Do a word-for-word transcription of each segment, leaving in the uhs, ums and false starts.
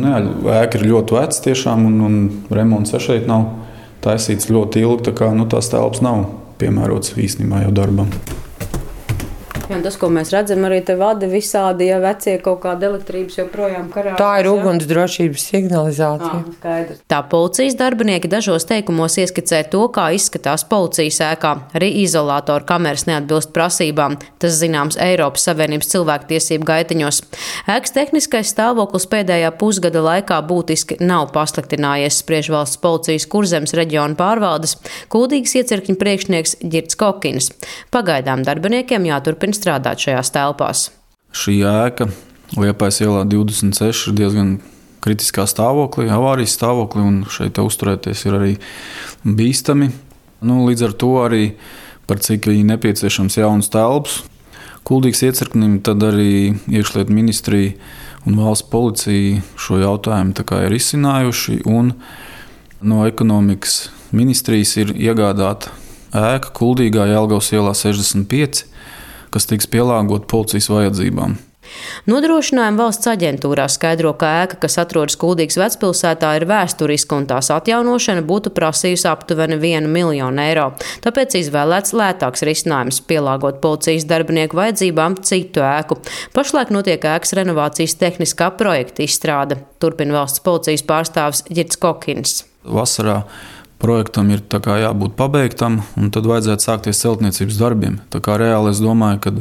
Jā, ēka ir ļoti veca tiešām, un, un remonts šeit nav taisīts ļoti ilgi, tā kā nu, tās telpas nav piemērotas īstenībā jau darbam. Jā, tas, ko mēs redzam, arī te vada visādi, ja vecie kaut kāda elektrības joprojām karā. Tā ir ugunsdrošības signalizācija. À, skaidrs. Tā policijas darbinieki dažos teikumos ieskicē to, kā izskatās policijas ēkā. Arī izolātoru kameras neatbilst prasībām. Tas zināms Eiropas Savienības cilvēktiesību gaitiņos. Ēkas tehniskais stāvoklis pēdējā pusgada laikā būtiski nav pasliktinājies, spriež valsts policijas Kurzemes reģiona pārvaldes Kuldīgas iecirkņa priekšnieks Ģirds Kokins. Pagaidām darbiniekiem jāturpina strādāt šajās telpās. Šī ēka Liepājas ielā divdesmit seši ir diezgan kritiskā stāvoklī, avārijas stāvoklī, un šeit uzturēties ir arī bīstami. Nu, līdz ar to arī par cik ir nepieciešams jaunas telpas Kuldīgas iecirknim, tad arī iekšlietu ministrija un valsts policija šo jautājumu tā kā ir izcinājuši, un no ekonomikas ministrijas ir iegādāta ēka Kuldīgā Jelgavas ielā sešdesmit pieci, kas tiks pielāgot policijas vajadzībām. Nodrošinājuma valsts aģentūrā skaidro, ka ēka, kas atrodas Kuldīgas vecpilsētā, ir vēsturiska un tās atjaunošana būtu prasījusi aptuveni vienu miljonu eiro. Tāpēc izvēlēts lētāks risinājums – pielāgot policijas darbinieku vajadzībām citu ēku. Pašlaik notiek ēkas renovācijas tehniskā projekta izstrāde. Turpina valsts policijas pārstāvis Ģirds Kokins. Vasarā projektam ir tā kā jābūt pabeigtam, un tad vajadzētu sākties celtniecības darbiem. Tā kā reāli es domāju, ka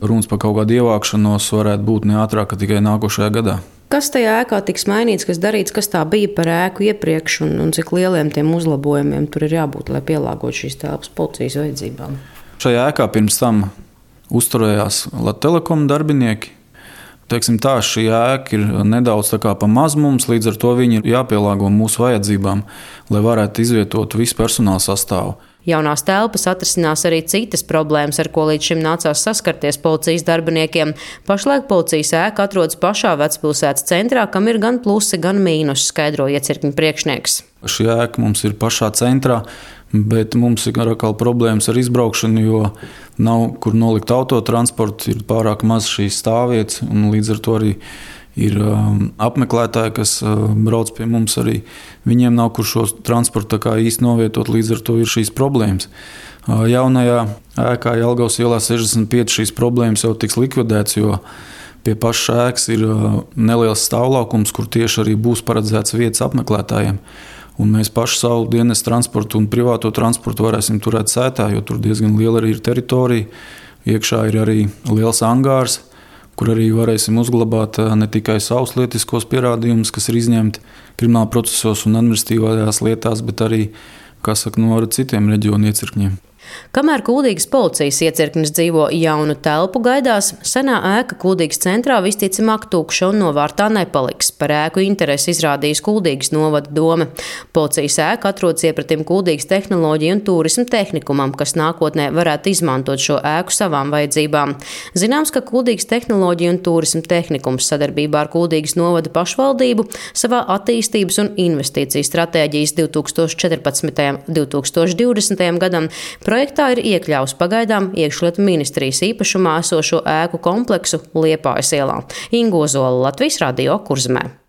runas par kaut kādu ievākšanos varētu būt ne ātrāk, tikai nākošajā gadā. Kas tajā ēkā tiks mainīts, kas darīts, kas tā bija par ēku iepriekš, un, un cik lieliem tiem uzlabojumiem tur ir jābūt, lai pielāgotu šīs telpas policijas vajadzībām? Šajā ēkā pirms tam uzturējās Latelekom darbinieki. Teiksim tā, šī ēka ir nedaudz tā kā pa maz mums, līdz ar to viņi ir jāpielāgo mūsu vajadzībām, lai varētu izvietot visu personāla sastāvu. Jaunās telpas atrisinās arī citas problēmas, ar ko līdz šim nācās saskarties policijas darbiniekiem. Pašlaik policijas ēka atrodas pašā vecpilsētas centrā, kam ir gan plusi, gan mīnusi, skaidro iecirkņa priekšnieks. Šī ēka mums ir pašā centrā, bet mums ir atkal problēmas ar izbraukšanu, jo nav kur nolikt autotransportu, ir pārāk maz šīs stāvvietas, un līdz ar to arī ir um, apmeklētāji, kas uh, brauc pie mums arī. Viņiem nav kur šo transportu tā kā īsti novietot, līdz ar to ir šīs problēmas. Uh, jaunajā ēkā Jelgavas ielā sešdesmit pieci šīs problēmas jau tiks likvidētas, jo pie pašas ēkas ir uh, neliels stāvlaukums, kur tieši arī būs paredzēts vietas apmeklētājiem. Un mēs paši savu dienas transportu un privāto transportu varēsim turēt sētā, jo tur diezgan liela arī ir teritorija. Iekšā ir arī liels angārs, kur arī varēsim uzglabāt ne tikai savus lietiskos pierādījumus, kas ir izņemti krimināla procesos un administratīvajās lietās, bet arī, kā saka, no citiem reģionu iecirkņiem. Kamēr Kuldīgas policijas iecirknis dzīvo jaunu telpu gaidās, senā ēka Kuldīgas centrā visticamāk tukša un novārtā nepaliks. Par ēku interesi izrādījis Kuldīgas novada dome. Policijas ēka atrodas iepratim Kuldīgas tehnoloģiju un turismu tehnikumam, kas nākotnē varētu izmantot šo ēku savām vajadzībām. Zināms, ka Kuldīgas tehnoloģiju un turismu tehnikums sadarbībā ar Kuldīgas novada pašvaldību savā attīstības un investīciju stratēģijas divi tūkstoši četrpadsmitajam līdz divi tūkstoši divdesmitajam gadam projektā ir iekļauts pagaidām iekšlietu ministrijas īpašumā esošo ēku kompleksu Liepājas ielā. Inga Ozola, Latvijas radio, Kurzemē.